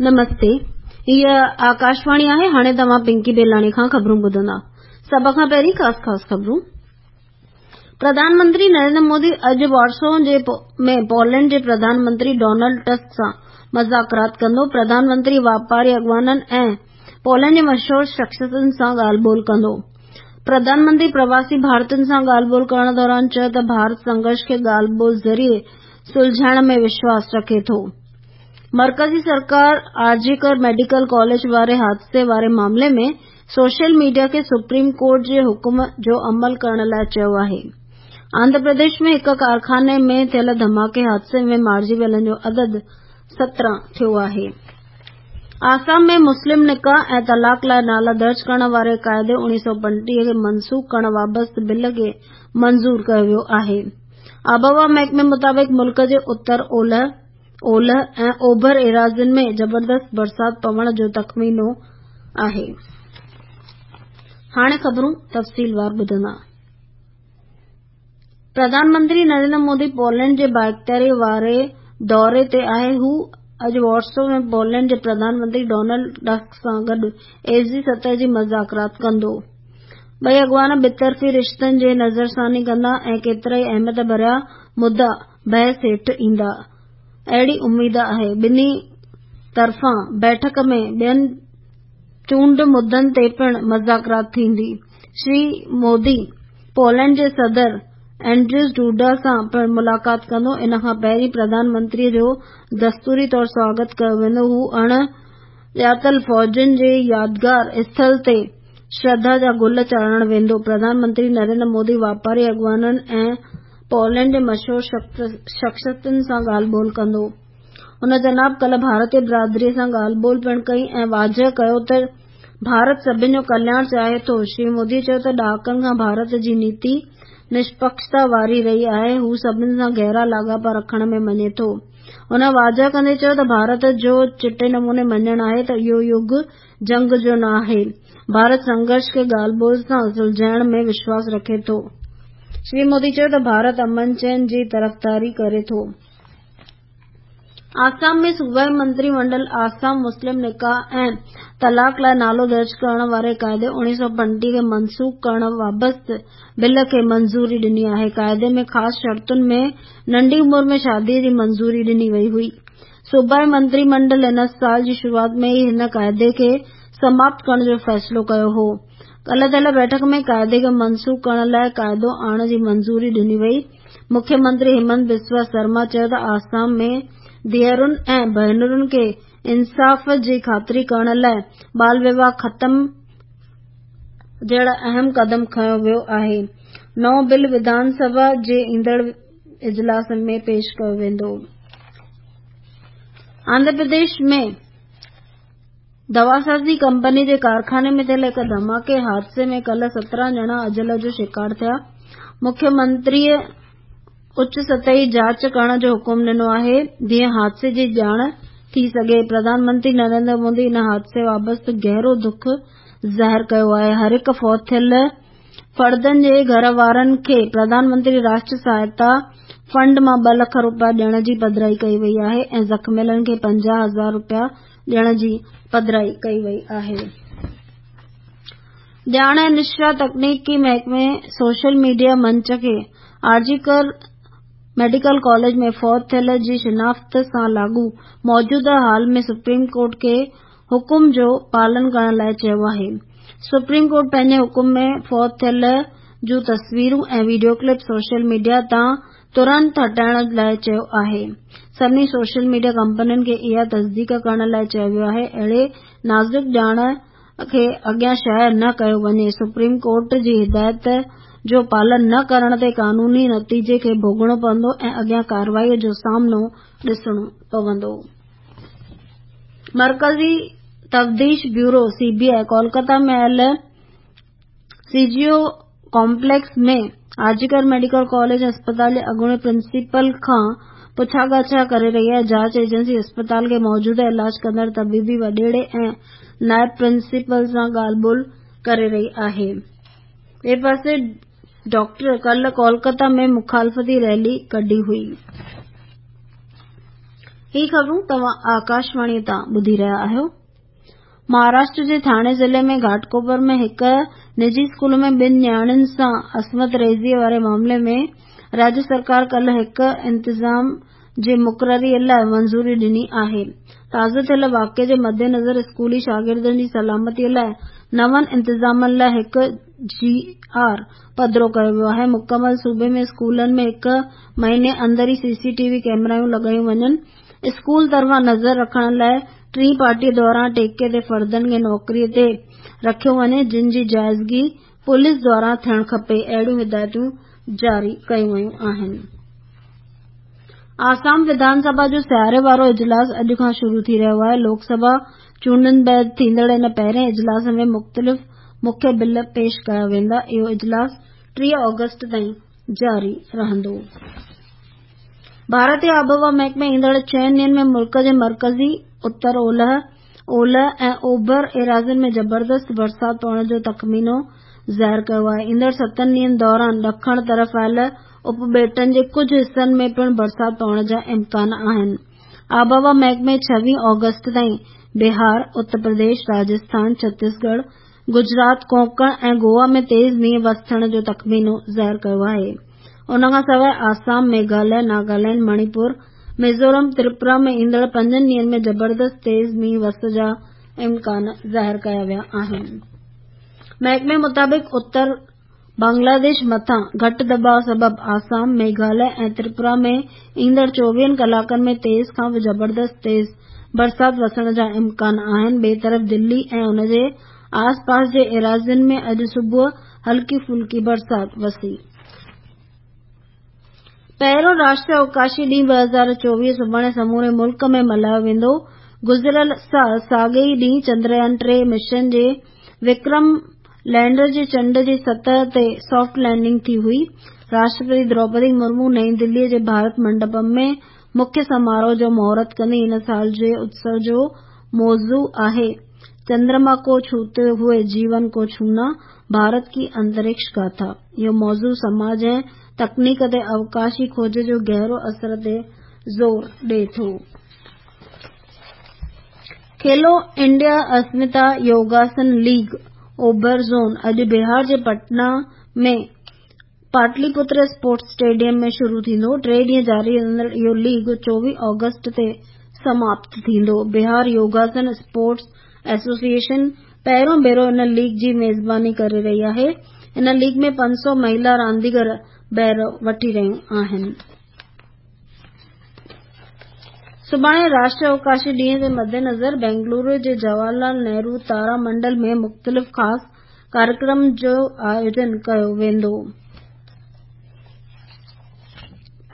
نمستي، هيء آڪاشواڻي آهي، هاڻي توهان پنڪي بيلاڻي کان خبرون ٻڌندا. سڀ کان پهرين خاص خاص خبرون. پرڌان منتري نريندر مودي اڄ وارسو ۾ پولينڊ جي پرڌان منتري ڊونلڊ ٽسڪ سان مذاڪرات ڪندو. پرڌان منتري واپاري اڳواڻن ۽ پولينڊ جي مشهور شخصيتن سان ڳالهه ٻولهه ڪندو. پرڌان منتري پرواسي ڀارتين سان ڳالهه ٻولهه ڪرڻ دوران چيو ته ڀارت سنگهرش کي ڳالهه ٻولهه ذريعي سلجهائڻ ۾ وشواس رکي ٿو. مرڪزي سرڪار آرجيڪر ميڊيڪل ڪاليج واري حادثي واري معاملي ۾ سوشل ميڊيا کي سپريم ڪورٽ جي حڪم جو عمل ڪرڻ لاء چيو آهي. آنڌرا پرديش ۾ هڪ ڪارخاني ۾ ٿيل ڌماڪي حادثي ۾ مارجي ويلن جو عدد 17 ٿيو آهي. آسام ۾ مسلم نڪاح ۽ طلاق لاء نالا درج ڪرڻ واري قاعدي 1935 کي منسوخ ڪرڻ وابسته بل کي منظور ڪيو ويو آهي. آبهوا محڪمي مطابق ملڪ جي اتر اولهه، اولهه ۽ اوڀر ايراضين ۾ زبردست برسات پوڻ جو تخمينو آهي. هاڻي خبرون تفصيلوار ٻڌندا. پرڌان منتري نريندر مودي پولينڊ جي بااختياري واري دوري تي آهي. هو اڄ وارسو ۾ پولينڊ جي پرڌان منتري ڊونلڊ ٽسڪ سان گڏ ايس جي سطح جي مذاڪرات ڪندو. ٻئي اڳواڻ ٻطرفي رشتن جي نظرثاني ڪندا ۽ ڪيترائي اهميت ڀريا مدعا بحث هيٺ ايندا، اهڙي اميد آهي. ٻنهي طرفان بيٺڪ ۾ ٻين چونڊ مدن تي پڻ مذاڪرات ٿيندي. شري مودي پولينڊ جي صدر اينڊريز ڊوڊا سان پڻ ملاقات ڪندو. ان کان پهرين پرڌان منتري جو دستوري طور سواگت ڪيو ويندو. هو اڻ ڄاتل فوجين جي يادگار اسٿل تي شرڌا جا گل چاڙهڻ ويندو. پرڌان منتري نريندر مودي واپاري اڳواڻن ۽ پولينڊ جي مشهور شخصيتن سان ڳالهه ٻولهه ڪندو. هن جناب ڪلهه ڀارتي برادري سان ڳالهه ٻولهه پڻ ڪئي ۽ واضح ڪيو ته ڀارت سڀني جو ڪلياڻ چاهي ٿو. شري مودي چيو ته ڏهاڪن کان ڀارت جي نيتي نشپڪشتا واري رهي آهي، هو سڀني سان گهرا لاڳاپا رکڻ ۾ مڃي ٿو. هن واضح ڪندي چيو ته ڀارت جو چٽي نموني مڃڻ آهي ته اهو يگ جنگ جو نه آهي. ڀارت سنگهرش کي ڳالهه ٻولهه سان سلجهائڻ ۾ وشواس رکي ٿو. شري مودي چيو ته ڀارت امن چين جي طرفداري ڪري ٿو. آسام ۾ صوبائي منتري منڊل آسام مسلم نڪاح ۽ طلاق لاء نالو درج ڪرڻ واري قاعدي 1935 کي منسوخ ڪرڻ وابسته بل کي منظوري ڏني آهي. قاعدي ۾ خاص شرطن ۾ ننڍي عمر ۾ شادي جي منظوري ڏني وئي هئي. صوبائي منتري منڊل هن سال جي شروعات ۾ ئي هن قاعدي کي سماپت ڪرڻ جو فيصلو ڪيو هو. ڪلهه ٿيل بيٺڪ ۾ قاعدي کي منسوخ ڪرڻ لاء قاعدو آڻڻ جي منظوري ڏني وئي. مکيه منتري همنت بسوا سرما چيو ته آسام ۾ ڌيئرن ۽ ڀينرن کي انصاف جي خاطري ڪرڻ لاء ٻال وواهه ختم جهڙا اهم قدم کنيو ويو آهي. نئون بل وڌان سڀا جي ايندڙ اجلاس ۾ پيش ڪيو ويندو. آنڌرا پرديش ۾ دواسازي ڪمپني جي ڪارخاني ۾ ٿيل هڪ ڌماڪي حادثي ۾ ڪلهه 17 ڄڻا اجل جو شڪار ٿيا. مکيه منتريء اچ سطحي جاچ ڪرڻ جو حڪم ڏنو آهي جيئن حادثي جي ڄاڻ ٿي سگهي. پرڌان منتري نريندر مودي ان حادثي وابسته گهرو دک ظاهر ڪيو آهي. هر هڪ فوت ٿيل فردن جي گهر وارن کي پرڌان منتري راشٽر سهائتا فنڊ مان 2 لک رپيا ڏيڻ جي پڌرائي ڪئي وئي آهي ۽ زخميلن کي 50 هزار رپيا ڏيڻ جي پڌرائي ڪئي وئي آهي. ڄاڻ ۽ نشريات تڪنيڪي محڪمي سوشل ميڊيا منچ کي آرجيڪر ميڊيڪل ڪاليج ۾ فوت ٿيل جي شناخت سان لاڳو موجوده حال ۾ سپريم ڪورٽ کي حڪم جو پالن ڪرڻ لاء چيو آهي. سپريم ڪورٽ پنهنجي حڪم ۾ فوت ٿيل جون تصويرون ۽ وڊيو ڪلپ سوشل ميڊيا تان ترنت هٽائڻ لاء چيو آهي. سڀني سوشل ميڊيا ڪمپنين کي اها تصديق ڪرڻ لاء چيو ويو آهي اهڙي نازڪ ڄاڻ کي اڳيان شايع نه ڪيو وڃي. سپريم ڪورٽ جي هدايت جو پالن نه ڪرڻ تي قانوني نتيجي کي ڀوڳڻو پوندو ۽ اڳيان ڪارروائي جو سامنو ڏسڻو پوندو. مرڪزي تفتيش بيورو، سي بي آء، ڪولڪتا ۾ آيل سي جي او ڪامپليڪس ۾ آرجيڪر ميڊيڪل ڪاليج ۽ اسپتال جي اڳوڻي پرنسپل کان پڇا ڳاڇا ڪري رهي آهي. جاچ ايجنسي اسپتال کي موجوده علاج ڪندڙ طبيبي وڏيري ۽ نائب پرنسپل سان ڳالهه ٻولهه ڪري رهي آهي. ٻئي پاسي ڊاڪٽر ڪلهه ڪولڪتا ۾ مخالفتي ريلي ڪڍي هئي. هي خبرون توهان آڪاشواڻي تان ٻڌي رهيا آهيو. مهاراشٽر جي ٿاڻي ضلعي ۾ گهاٽڪوپر ۾ هڪ نجي اسڪول ۾ ٻن نياڻين سان عصمت ريزي واري معاملي ۾ راجيه سرڪار ڪالهه هڪ انتظام جي مقرري لاء منظوري ڏني آهي. تازو ٿيل واقعي جي مدنظر اسڪولي شاگردن جي سلامتي لاء نون انتظامن لاء هڪ جي آر پڌرو ڪيو ويو آهي. مڪمل صوبي ۾ اسڪولن ۾ هڪ مهيني اندر ئي سي سي ٽي وي ڪئميرائون لڳايون وڃن. اسڪول طرفان نظر رکڻ لاء ٽين پارٽي دوران ٺيڪي تي فردن کي نوڪري تي رکيو وڃي جن جي جائزگي پوليس دواران ٿيڻ کپي اهڙيون هدايتون جاري ڪيون ويون آهن. آسام وڌان سڀا جو سياري وارو اجلاس اڄ کان شروع ٿي رهيو آهي. لوڪ سڀا چونڊن بعد ٿيندڙ ان پهرين اجلاس ۾ مختلف مکيه بل پيش ڪيا ويندا. اهو اجلاس 30 آگسٽ تائين جاري رهندو. ڀارتي آبهوا محڪمي ايندڙ چئن ڏينهن ۾ ملڪ جي مرڪزي، اتر اولهه، اولهه ۽ اوڀر ايراضين ۾ زبردست برسات پوڻ جو تخمينو ظاهر ڪيو آهي. ايندڙ ستن ڏينهن دوران ڏکڻ طرف آيل اپٻيٽن جي ڪجهه حصن ۾ پڻ برسات پوڻ جا امڪان آهن. آبهوا محڪمي 26 آگسٽ تائين بهار، اتر پرديش، راجسٿان، ڇتيسڳڙهه، گجرات، ڪونڪڻ ۽ گوا ۾ تيز مينهن وسڻ جو تخمينو ظاهر ڪيو آهي. ان کان سواء آسام، ميگهاليه، ناگالينڊ، مڻيپور، ميزورم، تريپورا ۾ ايندڙ پنجن ڏينهن ۾ زبردست تيز مينهن وس جا امڪان ظاهر ڪيا ويا آهن. محڪمي مطابق اتر بنگلاديش مٿان گهٽ دٻاء سبب آسام، ميگهاليه ۽ تريپورا ۾ ايندڙ 24 ڪلاڪن ۾ تيز کان زبردست تيز برسات وسڻ جا امڪان آهن. ٻئي طرف دلي ۽ ان جي آس پاس جي ايراضين ۾ اڄ صبح هلڪي ڦلڪي برسات وسي. پهريون راشٽريه اوڪاشي ڏينهن 2024 سڀاڻي سموري ملڪ ۾ ملهايو ويندو. گذريل سال ساڳئي ئي ڏينهن چندريان 3 مشن جي وڪرم لينڊر جي چنڊ جي سطح تي سافٽ لينڊنگ ٿي هئي. راشٽرپتي دروپدي مرمو نئين دلي جي ڀارت منڊپم ۾ مکيه سماروهه جو مهورت ڪندي. هن سال جي اتسو جو موضوع آهي چندرما ڪو ڇوتي هوئي جيون ڪو ڇونا، ڀارت ڪي انترڪش گاٿا. اهو موضوع سماج ۽ تڪنيڪ تي اوڪاشي کوج جو گهرو اثر تي زور ڏئي ٿو. کيلو انڊيا اسمتا يوگاسن ليگ اوڀر زون اڄ بهار جي پٽنا ۾ پاٽلي پتر اسپورٽس اسٽيڊيم ۾ شروع ٿيندو. ٽي ڏينهن جاري رهندڙ اهو ليگ 24 آگسٽ تي سماپت ٿيندو. بهار يوگاسن اسپورٽس ايسوسيئيشن پهريون ڀيرو ان ليگ جي ميزباني ڪري رهي آهي. ان ليگ ۾ 500 مهيلا رانديگر بهرو وٺي رهيون آهن. سڀاڻي راشٽريه اوڪاشي ڏينهن جي مدنظر بينگلورو جي جواهر لال نهرو تارا منڊل ۾ مختلف خاص ڪاريڪرم جو آيوجن ڪيو ويندو.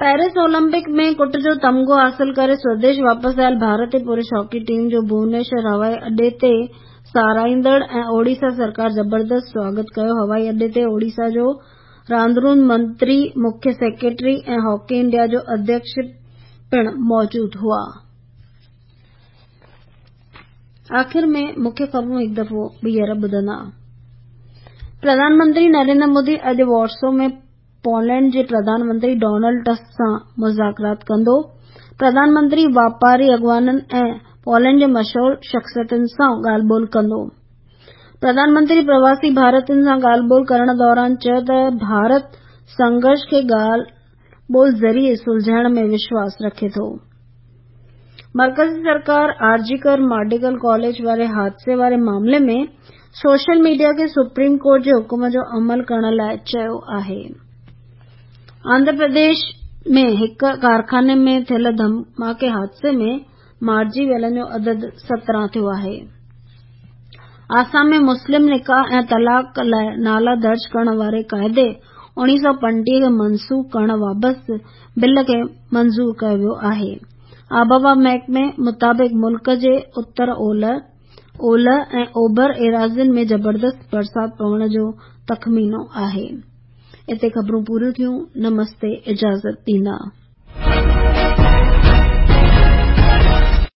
پيرس اولمپڪ ۾ ڪٽ جو تمغو حاصل ڪري سوديش واپس آيل ڀارتي پرش هاڪي ٽيم جو ڀونيشور هوائي اڏي تي ساراهيندڙ ۽ اوڙيسا سرڪار زبردست سواگت ڪيو. هوائي اڏي تي اوڙيسا جو راندرون منتري، مکيه سيڪريٽري ۽ هاڪي انڊيا جو اڌيڪش پڻ موجود هئا. آخر ۾ مکيه خبرون هڪ دفعو ٻيهر ٻڌندا. پرڌان منتري نريندر مودي اڄ وارسو ۾ پولينڊ جي پرڌان منتري ڊونلڊ ٽسڪ سان مذاڪرات ڪندو. پرڌان منتري واپاري اڳواڻن ۽ پولينڊ جي مشهور شخصيتن سان ڳالهه ٻولهه ڪندو. پرڌان منتري پرواسي ڀارتين سان ڳالهه ٻولهه ڪرڻ دوران چيو ته ڀارت سنگهرش کي ڳالهه ٻولهه ذريعي سلجهائڻ ۾ وشواس رکي ٿو. مرڪزي سرڪار آر جي ڪر ميڊيڪل ڪاليج واري حادثي واري معاملي ۾ سوشل ميڊيا کي سپريم ڪورٽ جي حڪم جو عمل ڪرڻ لاء چيو آهي. آنڌرا پرديش ۾ هڪ ڪارخاني ۾ ٿيل ڌماڪي حادثي ۾ مارجي ويلن جو عدد 17 ٿيو آهي. آسام ۾ مسلم نڪاح ۽ طلاق لاء نالا درج ڪرڻ واري قاعدي 1935 کي منسوخ ڪرڻ بابت بل کي منظور ڪيو ويو آهي. آبهوا محڪمي مطابق ملڪ جي اتر اولهه، اولهه ۽ اوڀر ايراضين ۾ زبردست برسات پوڻ جو تخمينو آهي. اتي خبرون پوريون ٿيون. نمستي اجازت ڏيندا.